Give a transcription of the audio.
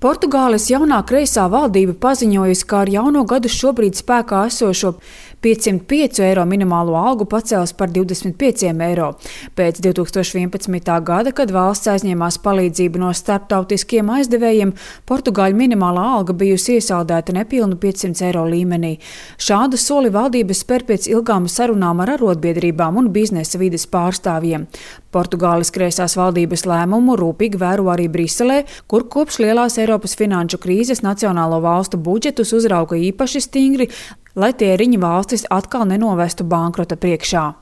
Portugāles jaunā kreisā valdība paziņojusi, ka ar jauno gadu šobrīd spēkā esošo 505 eiro minimālo algu pacels par 25 eiro. Pēc 2011. gada, kad valsts aizņēmās palīdzību no starptautiskiem aizdevējiem, Portugāļu minimālā alga bijusi iesaldēta nepilnu 500 eiro līmenī. Šādu soli valdība spēr pēc ilgām sarunām ar arotbiedrībām un biznesa vides pārstāvjiem. Portugāles kreisās valdības lēmumu rūpīgi vēro arī Briselē, kur kopš lielās Eiropas finanšu krīzes nacionālo valstu budžetus uzrauga īpaši stingri, lai tie riņu valstis atkal nenovestu bankrota priekšā.